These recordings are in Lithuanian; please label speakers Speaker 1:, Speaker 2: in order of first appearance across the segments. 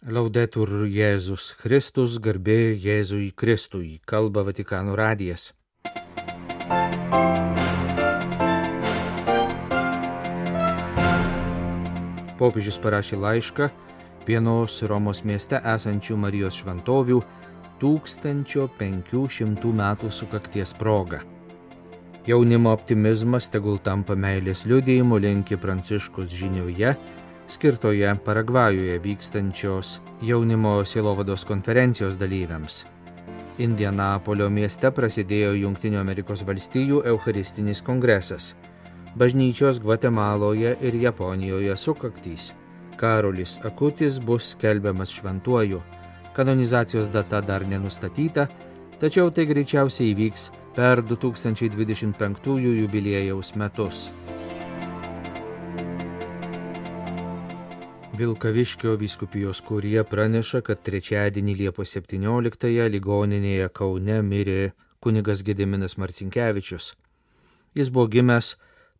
Speaker 1: Laudetur Jėzus Kristus, garbė Jėzui Kristui, kalba Vatikano radijas. Popiežius parašė laišką vienos Romos mieste esančių Marijos šventovių 1500 metų sukakties proga. Jaunimo optimizmas tegul tampa meilės liudijimu, linki Pranciškus žinioje, skirtoje Paragvajuje vykstančios jaunimo sielovados konferencijos dalyviams. Indianapolio mieste prasidėjo Jungtinių Amerikos valstijų Eucharistinis kongresas. Bažnyčios Gvatemaloje ir Japonijoje sukaktys. Karolis Akutis bus skelbiamas šventuoju. Kanonizacijos data dar nenustatyta, tačiau tai greičiausiai įvyks per 2025 jubiliejaus metus. Vilkaviškio vyskupijos kurija praneša, kad trečiadienį Liepos 17-ąją ligoninėje Kaune mirė kunigas Gediminas Marcinkevičius. Jis buvo gimęs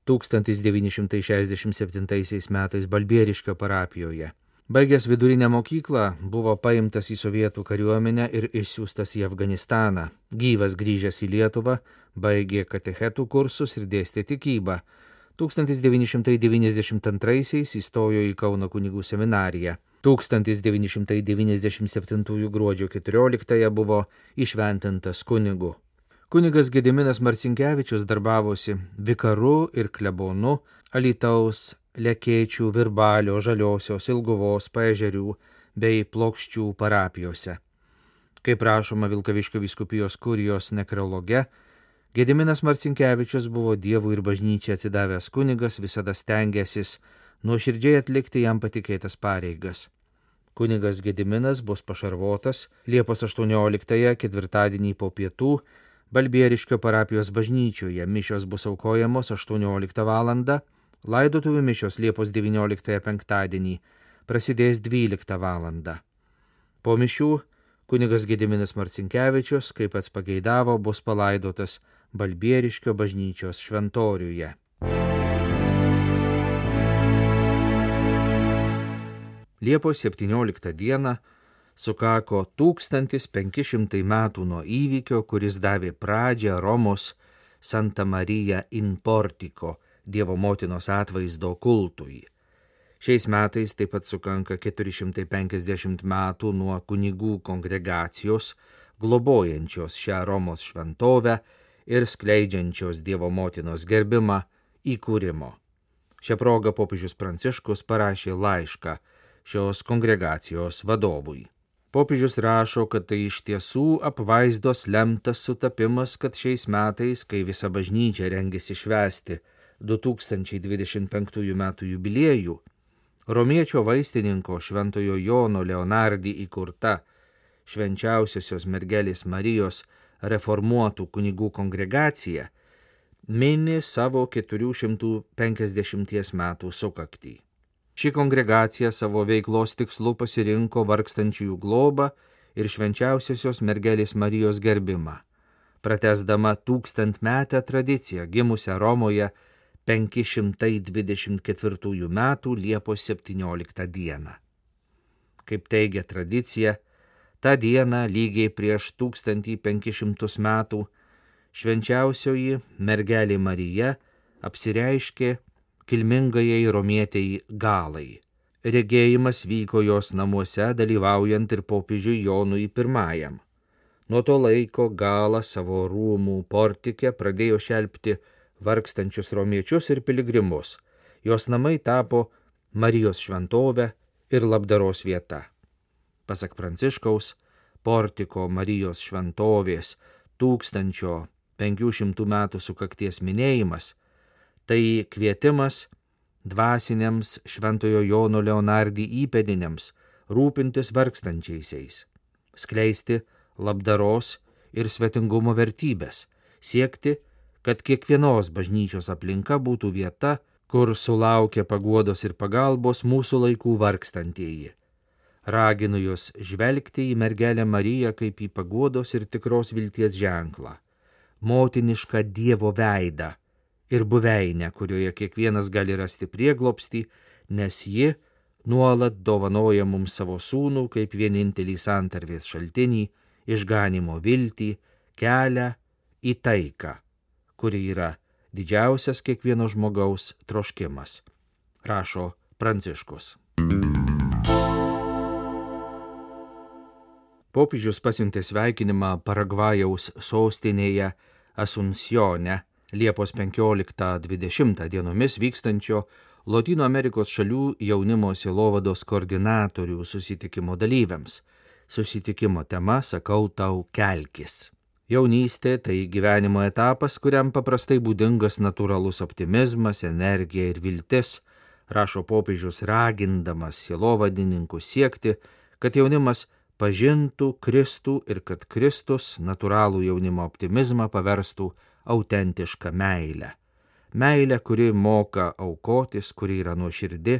Speaker 1: 1967 metais Balbieriškio parapijoje. Baigęs vidurinę mokyklą, buvo paimtas į sovietų kariuomenę ir išsiųstas į Afganistaną. Gyvas grįžęs į Lietuvą, baigė katechetų kursus ir dėstė tikybą. 1992 įstojo į Kauno kunigų seminariją. 1997 gruodžio 14 buvo įšventintas kunigu. Kunigas Gediminas Marcinkevičius darbavosi vikaru ir klebonu Alytaus, Lekėčių, Virbalio, Žaliosios, Ilguvos, Paežerių bei Plokščių parapijose. Kaip rašoma Vilkaviškio vyskupijos kurijos nekrologe, Gediminas Marcinkevičius buvo Dievui ir bažnyčiai atsidavęs kunigas, visada stengęsis nuoširdžiai atlikti jam patikėtas pareigas. Kunigas Gediminas bus pašarvotas Liepos 18-ąją ketvirtadienį po pietų Balbieriškio parapijos bažnyčioje. Mišios bus aukojamos 18 val. Laidotuvių mišios Liepos 19-ąją penktadienį prasidės 12 val. Po mišių kunigas Gediminas Marcinkevičius, kaip pats pageidavo, bus palaidotas Balbieriškio bažnyčios šventoriuje. Liepos 17 dieną sukako 1500 metų nuo įvykio, kuris davė pradžią Romos Santa Marija in Portico, Dievo motinos atvaizdo kultui. Šiais metais taip pat sukanka 450 metų nuo kunigų kongregacijos, globojančios šią Romos šventovę ir skleidžiančios Dievo motinos gerbimą įkūrimo. Šią progą popiežius Pranciškus parašė laišką šios kongregacijos vadovui. Popiežius rašo, kad tai iš tiesų apvaizdos lemtas sutapimas, kad šiais metais, kai visa bažnyčia rengiasi švęsti 2025 metų jubiliejų, romiečio vaistininko Šventojo Jono Leonardi įkurta Švenčiausiosios mergelės Marijos reformuotų kunigų kongregacija mini savo 450 metų sukaktį. Ši kongregacija savo veiklos tikslu pasirinko vargstančiųjų globą ir Švenčiausiosios mergelės Marijos gerbimą, pratęsdama 1000-metę tradiciją gimusią Romoje 524 metų Liepos 17 dieną. Kaip teigia tradicija, tą dieną lygiai prieš 1500 metų švenčiausioji mergelė Marija apsireiškė kilmingajai romietei Galai. Regėjimas vyko jos namuose, dalyvaujant ir popiežiui Jonui I. Nuo to laiko Gala savo rūmų portike pradėjo šelpti vargstančius romiečius ir piligrimus. Jos namai tapo Marijos šventovė ir labdaros vieta. Pasak Pranciškaus, portiko Marijos šventovės 1500 metų sukakties minėjimas tai kvietimas dvasiniams Šventojo Jono Leonardi įpėdiniams rūpintis vargstančiaisiais, skleisti labdaros ir svetingumo vertybės, siekti, kad kiekvienos bažnyčios aplinka būtų vieta, kur sulaukia paguodos ir pagalbos mūsų laikų vargstantieji. Raginu jūs žvelgti į mergelę Mariją kaip į paguodos ir tikros vilties ženklą, motinišką Dievo veidą ir buveinę, kurioje kiekvienas gali rasti prieglobstį, nes ji nuolat dovanoja mums savo sūnų kaip vienintelį santarvės šaltinį, išganimo viltį, kelią į taiką, kuri yra didžiausias kiekvieno žmogaus troškimas, rašo Pranciškus. Popiežius pasiuntė sveikinimą Paragvajaus sostinėje Asuncione Liepos 15-20 dienomis vykstančio Lotynų Amerikos šalių jaunimo sielovados koordinatorių susitikimo dalyviams. Susitikimo tema sakau tau kelkis. Jaunystė tai gyvenimo etapas, kuriam paprastai būdingas natūralus optimizmas, energija ir viltis, rašo popiežius ragindamas sielovadininkus siekti, kad jaunimas pažintų Kristų ir kad Kristus natūralų jaunimo optimizmą paverstų autentišką meilę. Meilę, kuri moka aukotis, kuri yra nuoširdi,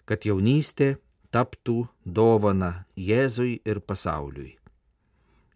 Speaker 1: kad jaunystė taptų dovana Jėzui ir pasauliui.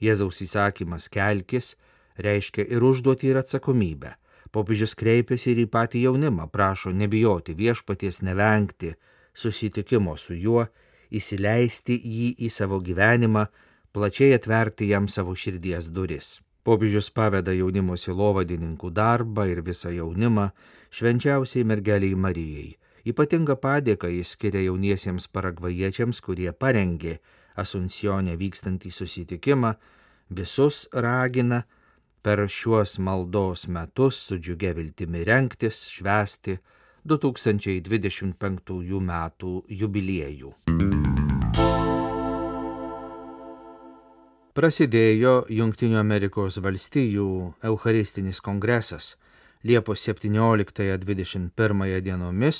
Speaker 1: Jėzaus įsakymas kelkis reiškia ir užduotį ir atsakomybę. Popiežius kreipiasi ir į patį jaunimą, prašo nebijoti viešpaties, nevengti susitikimo su juo, įsileisti jį į savo gyvenimą, plačiai atverti jam savo širdies duris. Popiežius paveda jaunimo sielovadininkų darbą ir visą jaunimą švenčiausiai mergeliai Marijai. Ypatingą padėką jis skiria jauniesiems paragvajiečiams, kurie parengė Asuncione vykstantį susitikimą, visus ragina per šiuos maldos metus su džiugia viltimi rengtis, švęsti 2025 metų jubiliejų. Prasidėjo Jungtinių Amerikos valstijų Eucharistinis kongresas Liepos 17-21 dienomis.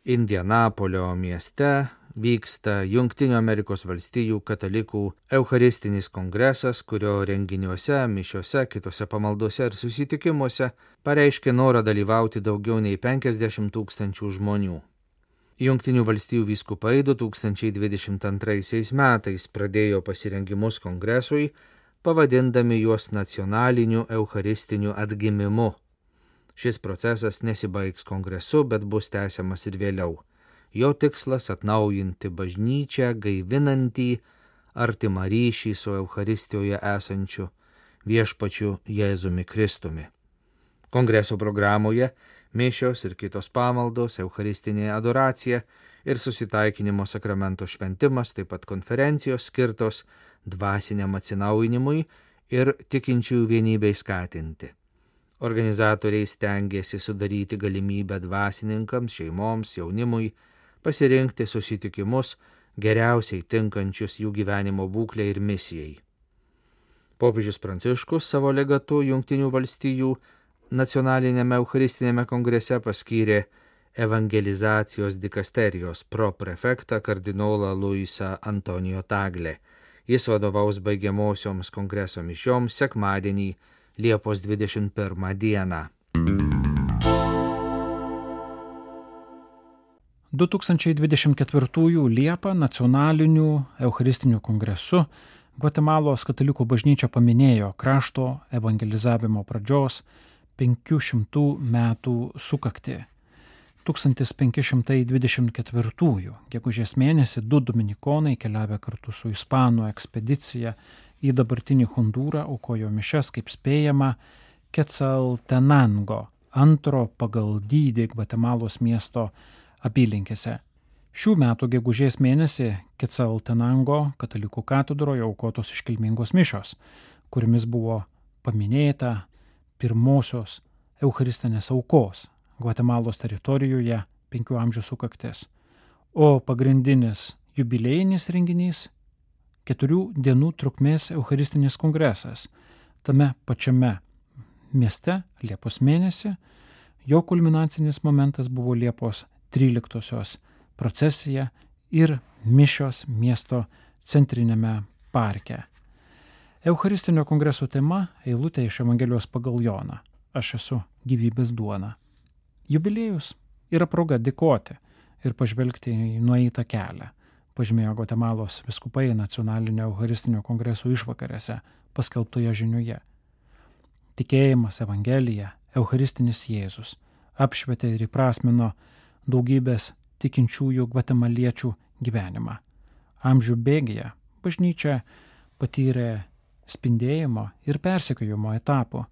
Speaker 1: Indianapolio mieste vyksta Jungtinių Amerikos valstijų katalikų Eucharistinis kongresas, kurio renginiuose, mišiuose, kitose pamaldose ir susitikimuose pareiškė norą dalyvauti daugiau nei 50 000 žmonių. Jungtinių valstijų vyskupai 2022 metais pradėjo pasirengimus kongresui, pavadindami juos nacionaliniu eucharistiniu atgimimu. Šis procesas nesibaigs kongresu, bet bus tęsiamas ir vėliau. Jo tikslas atnaujinti bažnyčią, gaivinantį artimą ryšį su Eucharistijoje esančiu viešpačiu Jėzumi Kristumi. Kongreso programoje mišios ir kitos pamaldos, eucharistinė adoracija ir susitaikinimo sakramento šventimas, taip pat konferencijos skirtos dvasiniam atsinaujinimui ir tikinčiųjų vienybei skatinti. Organizatoriai stengiasi sudaryti galimybę dvasininkams, šeimoms, jaunimui pasirinkti susitikimus geriausiai tinkančius jų gyvenimo būklei ir misijai. Popiežius Pranciškus savo legatu Jungtinių valstijų nacionalinėme eucharistinėme kongrese paskyrė evangelizacijos dikasterijos proprefektą kardinolą Luisą Antonijo Tagle. Jis vadovaus baigiamosioms kongreso mišioms sekmadienį Liepos 21 dieną.
Speaker 2: 2024 Liepą nacionaliniu eucharistiniu kongresu Gvatemalos katalikų bažnyčia paminėjo krašto evangelizavimo pradžios 500 metų sukaktį. 1524 gegužės mėnesį 2 dominikonai keliavę kartu su ispanų ekspedicija į dabartinį Hondūrą aukojo mišias, kaip spėjama, Quetzaltenango, antro pagal dydį Gvatemalos miesto apylinkėse. Šių metų gegužės mėnesį Quetzaltenango katalikų katedroje aukotos iškilmingos mišios, kuriamis buvo paminėta pirmosios eucharistinės aukos Gvatemalos teritorijoje 5 amžių sukaktis, o pagrindinis jubiliejinis renginys 4 dienų trukmės eucharistinis kongresas. Tame pačiame mieste Liepos mėnesį jo kulminacinis momentas buvo Liepos 13-osios procesija ir mišios miesto centrinėme parke. Eucharistinio kongreso tema eilutė iš Evangelijos pagal Joną. Aš esu gyvybės duona. Jubiliejus yra proga dėkoti ir pažvelgti į nueitą kelią, pažymėjo Gvatemalos vyskupai nacionalinio eucharistinio kongreso išvakarėse paskelbtoje žiniuje. Tikėjimas, Evangelija, eucharistinis Jėzus apšvietė ir įprasmino daugybės tikinčiųjų gvatemaliečių gyvenimą. Amžių bėgyje bažnyčia patyrė spindėjimo ir persekiojimo etapų.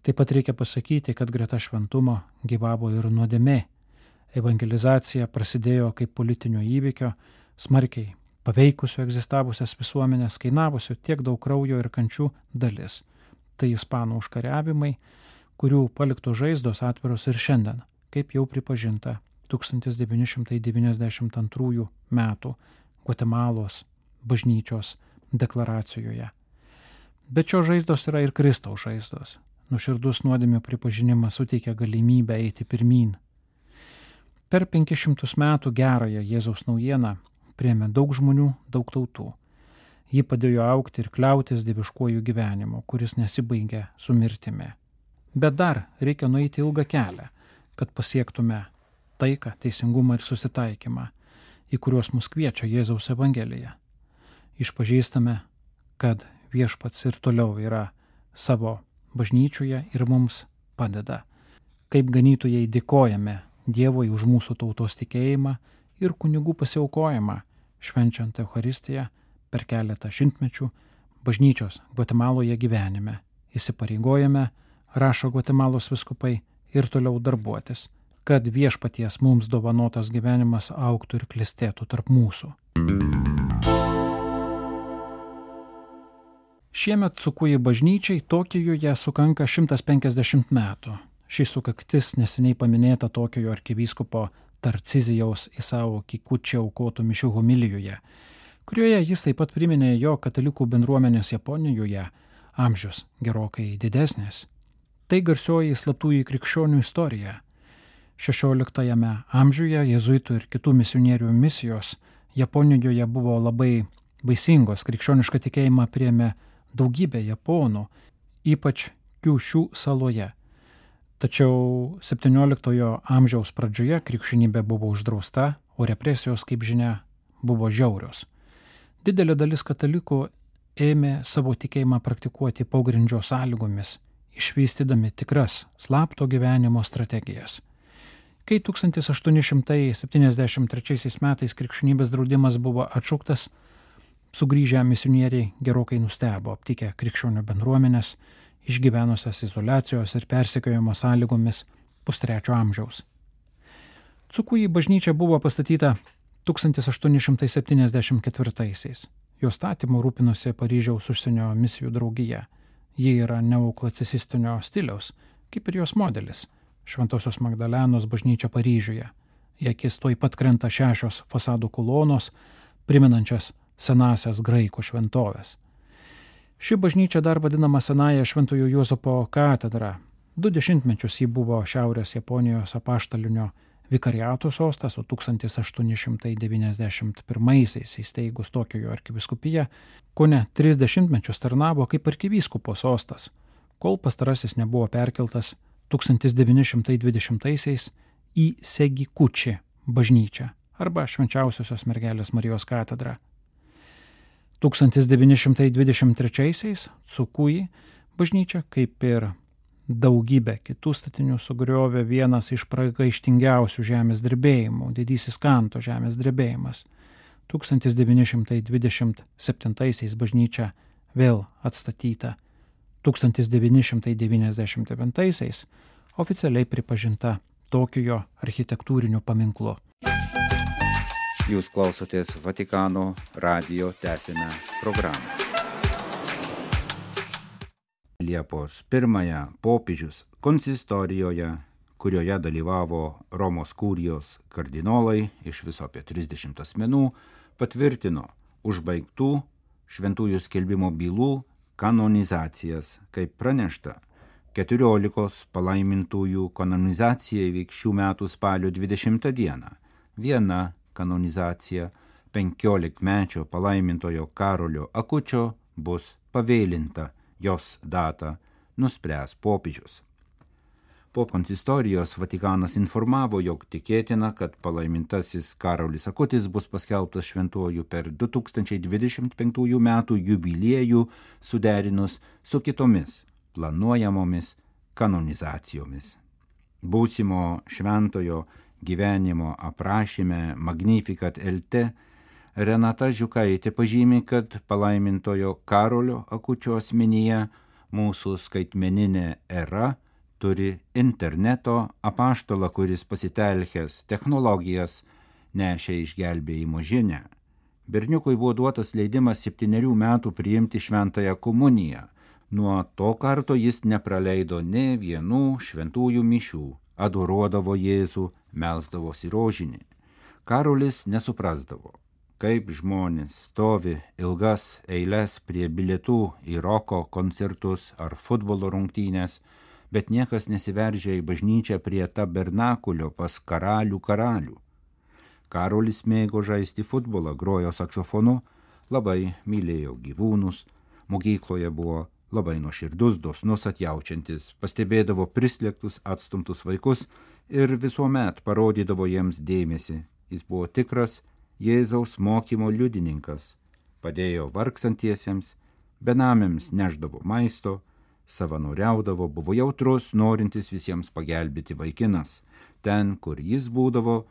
Speaker 2: Taip pat reikia pasakyti, kad greta šventumo gyvavo ir nuodėmė. Evangelizacija prasidėjo kaip politinio įvykio, smarkiai paveikusio egzistavusias visuomenės, kainavusio tiek daug kraujo ir kančių dalis. Tai ispanų užkariavimai, kurių paliktos žaizdos atviros ir šiandien, kaip jau pripažinta 1992 metų Gvatemalos bažnyčios deklaracijoje. Bet šios žaizdos yra ir Kristaus žaizdos. Nuoširdus nuodėmių pripažinimas suteikia galimybę eiti pirmyn. Per 500 metų gerąją Jėzaus naujieną priėmė daug žmonių, daug tautų. Ji padėjo augti ir kliautis dieviškuoju gyvenimu, kuris nesibaigia su mirtimi. Bet dar reikia nueiti ilgą kelią, kad pasiektume taiką, teisingumą ir susitaikymą, į kuriuos mus kviečia Jėzaus Evangelija. Išpažįstame, kad Viešpats ir toliau yra savo bažnyčioje ir mums padeda. Kaip ganytojai dėkojame Dievui už mūsų tautos tikėjimą ir kunigų pasiaukojimą, švenčiant Eucharistiją per keletą šimtmečių bažnyčios Gvatemaloje gyvenime. Įsipareigojame, rašo Gvatemalos vyskupai, ir toliau darbuotis, kad Viešpaties mums dovanotas gyvenimas augtų ir klestėtų tarp mūsų. Šiemet Cukuji bažnyčiai Tokijuje sukanka 150 metų. Ši sukaktis neseniai paminėta Tokijo arkivyskupo Tarcizijaus Isao Kikuči aukotų mišių homilijoje, kurioje jis taip pat priminė jo katalikų bendruomenės Japonijoje amžius gerokai didesnis. Tai garsioji slaptųjų krikščionių istorija. 16 amžiuje jėzuitų ir kitų misionierių misijos Japonijoje buvo labai vaisingos, krikščionišką tikėjimą priėmė daugybė japonų, ypač Kiušių saloje. Tačiau 17 amžiaus pradžioje krikščionybė buvo uždrausta, o represijos, kaip žinia, buvo žiaurios. Didelė dalis katalikų ėmė savo tikėjimą praktikuoti pogrindžio sąlygomis, išvystydami tikras slapto gyvenimo strategijas. Kai 1873 metais krikščionybės draudimas buvo atšauktas, sugrįžę misionieriai gerokai nustebo, aptikę krikščionių bendruomenės, išgyvenusias izoliacijos ir persekiojimo sąlygomis pustrečio amžiaus. Cukuji bažnyčia buvo pastatyta 1874-aisiais. Jo statymu rūpinosi Paryžiaus užsienio misijų draugija. Ji yra neoklasicistinio stiliaus, kaip ir jos modelis – Šventosios Magdalenos bažnyčia Paryžiuje. Į akis tuoj pat krenta 6 fasadų kolonos, primenančias senasias graikų šventoves. Ši bažnyčia dar vadinama Senąja Šventojo Juozapo katedra. 2 dešimtmečius ji buvo Šiaurės Japonijos apaštalinio vikariato sostas, o 1891 įsteigus Tokijo arkivyskupiją, kone 3 dešimtmečius tarnavo kaip arkivyskupo sostas, kol pastarasis nebuvo perkeltas 1920 į Segikuči bažnyčią arba Švenčiausiosios mergelės Marijos katedrą. 1923 Cukuji bažnyčia, kaip ir daugybė kitų statinių, sugriovė vienas iš pragaištingiausių žemės drebėjimų, didysis Kanto žemės drebėjimas. 1927 bažnyčia vėl atstatyta. 1999 oficialiai pripažinta Tokijo architektūriniu paminklu.
Speaker 3: Jūs klausotės Vatikano radijo tęsinę programą. Liepos 1 popiežius konsistorijoje, kurioje dalyvavo Romos kurijos kardinolai iš viso apie 30 asmenų, patvirtino užbaigtų šventųjų skelbimo bylų kanonizacijas, kaip pranešta. 14 palaimintųjų kanonizacija įvyks šių metų spalio 20 dieną. Viena kanonizacija 15-mečio palaimintojo Karolio Akučio bus pavėlinta, jos datą nuspręs popiežius. Po konsistorijos Vatikanas informavo, jog tikėtina, kad palaimintasis Karolis Akutis bus paskelbtas šventuoju per 2025 metų jubiliejų suderinus su kitomis planuojamomis kanonizacijomis. Būsimo šventojo gyvenimo aprašyme Magnificat LT Renata Žiukaitė pažymi, kad palaimintojo Karolio Akučio asmenyje mūsų skaitmeninė era turi interneto apaštalą, kuris pasitelkęs technologijas nešė išgelbėjimo žinią. Berniukui buvo duotas leidimas 7 metų priimti šventąją komuniją. Nuo to karto jis nepraleido nė vienų šventųjų mišių, adoruodavo Jėzų, melsdavosi rožinį. Karolis nesuprasdavo, kaip žmonės stovi ilgas eiles prie bilietų į roko koncertus ar futbolo rungtynės, bet niekas nesiveržia į bažnyčią prie tabernakulio pas karalių karalių. Karolis mėgo žaisti futbolą, grojo saksofonu, labai mylėjo gyvūnus, mokykloje buvo labai nuoširdus, dosnus, atjaučiantis, pastebėdavo prislėgtus, atstumtus vaikus ir visuomet parodydavo jiems dėmesį. Jis buvo tikras Jėzaus mokymo liudininkas, padėjo vargstantiesiems, benamiams neždavo maisto, savanoriaudavo, buvo jautrus, norintis visiems pagelbėti vaikinas. Ten, kur jis būdavo,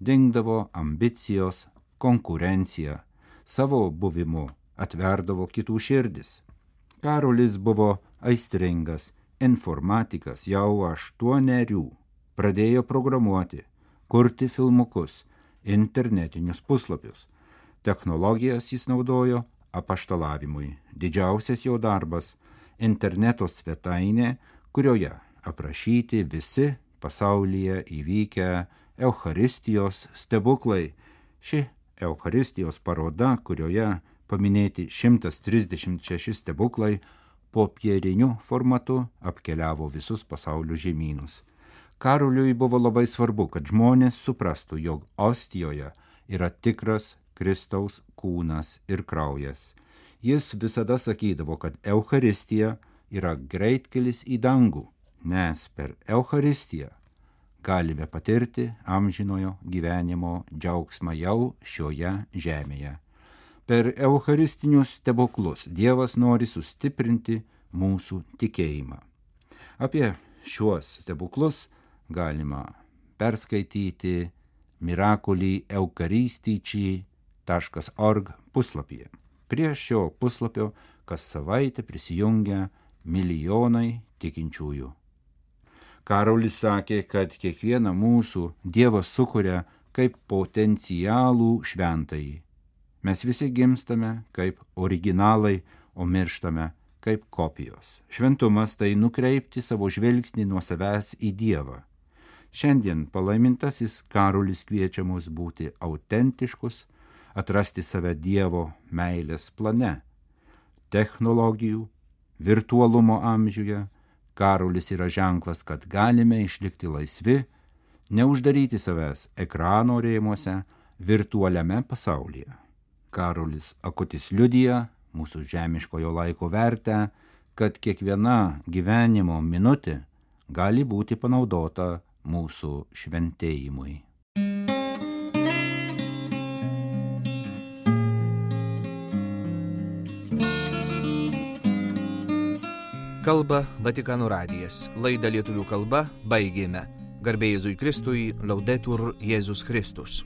Speaker 3: dingdavo ambicijos, konkurencija, savo buvimu atverdavo kitų širdis. Karolis buvo aistringas informatikas jau 8, pradėjo programuoti, kurti filmukus, internetinius puslapius. Technologijas jis naudojo apaštalavimui. Didžiausias jo darbas – interneto svetainė, kurioje aprašyti visi pasaulyje įvykę Eucharistijos stebuklai. Ši Eucharistijos paroda, kurioje paminėti 136 stebuklai, popieriniu formatu apkeliavo visus pasaulio žemynus. Karoliui buvo labai svarbu, kad žmonės suprastų, jog ostijoje yra tikras Kristaus kūnas ir kraujas. Jis visada sakydavo, kad Eucharistija yra greitkelis į dangų, nes per Eucharistiją galime patirti amžinojo gyvenimo džiaugsmą jau šioje žemėje. Per eucharistinius stebuklus Dievas nori sustiprinti mūsų tikėjimą. Apie šiuos stebuklus galima perskaityti Miraculi Eucharistici.org puslapyje. Prie šio puslapio kas savaitę prisijungia milijonai tikinčiųjų. Karolis sakė, kad kiekvieną mūsų Dievas sukuria kaip potencialų šventąjį. Mes visi gimstame kaip originalai, o mirštame kaip kopijos. Šventumas tai nukreipti savo žvilgsnį nuo savęs į Dievą. Šiandien palaimintasis Karolis kviečia mus būti autentiškus, atrasti save Dievo meilės plane. Technologijų, virtualumo amžiuje Karolis yra ženklas, kad galime išlikti laisvi, neuždaryti savęs ekrano rėmuose virtualiame pasaulyje. Karolis Akutis liudija mūsų žemiškojo laiko vertę, kad kiekviena gyvenimo minutė gali būti panaudota mūsų šventėjimui.
Speaker 1: Kalba Vatikano radijas. Laidą lietuvių kalba baigėme. Garbė Jėzui Kristui, Laudetur Jėzus Kristus.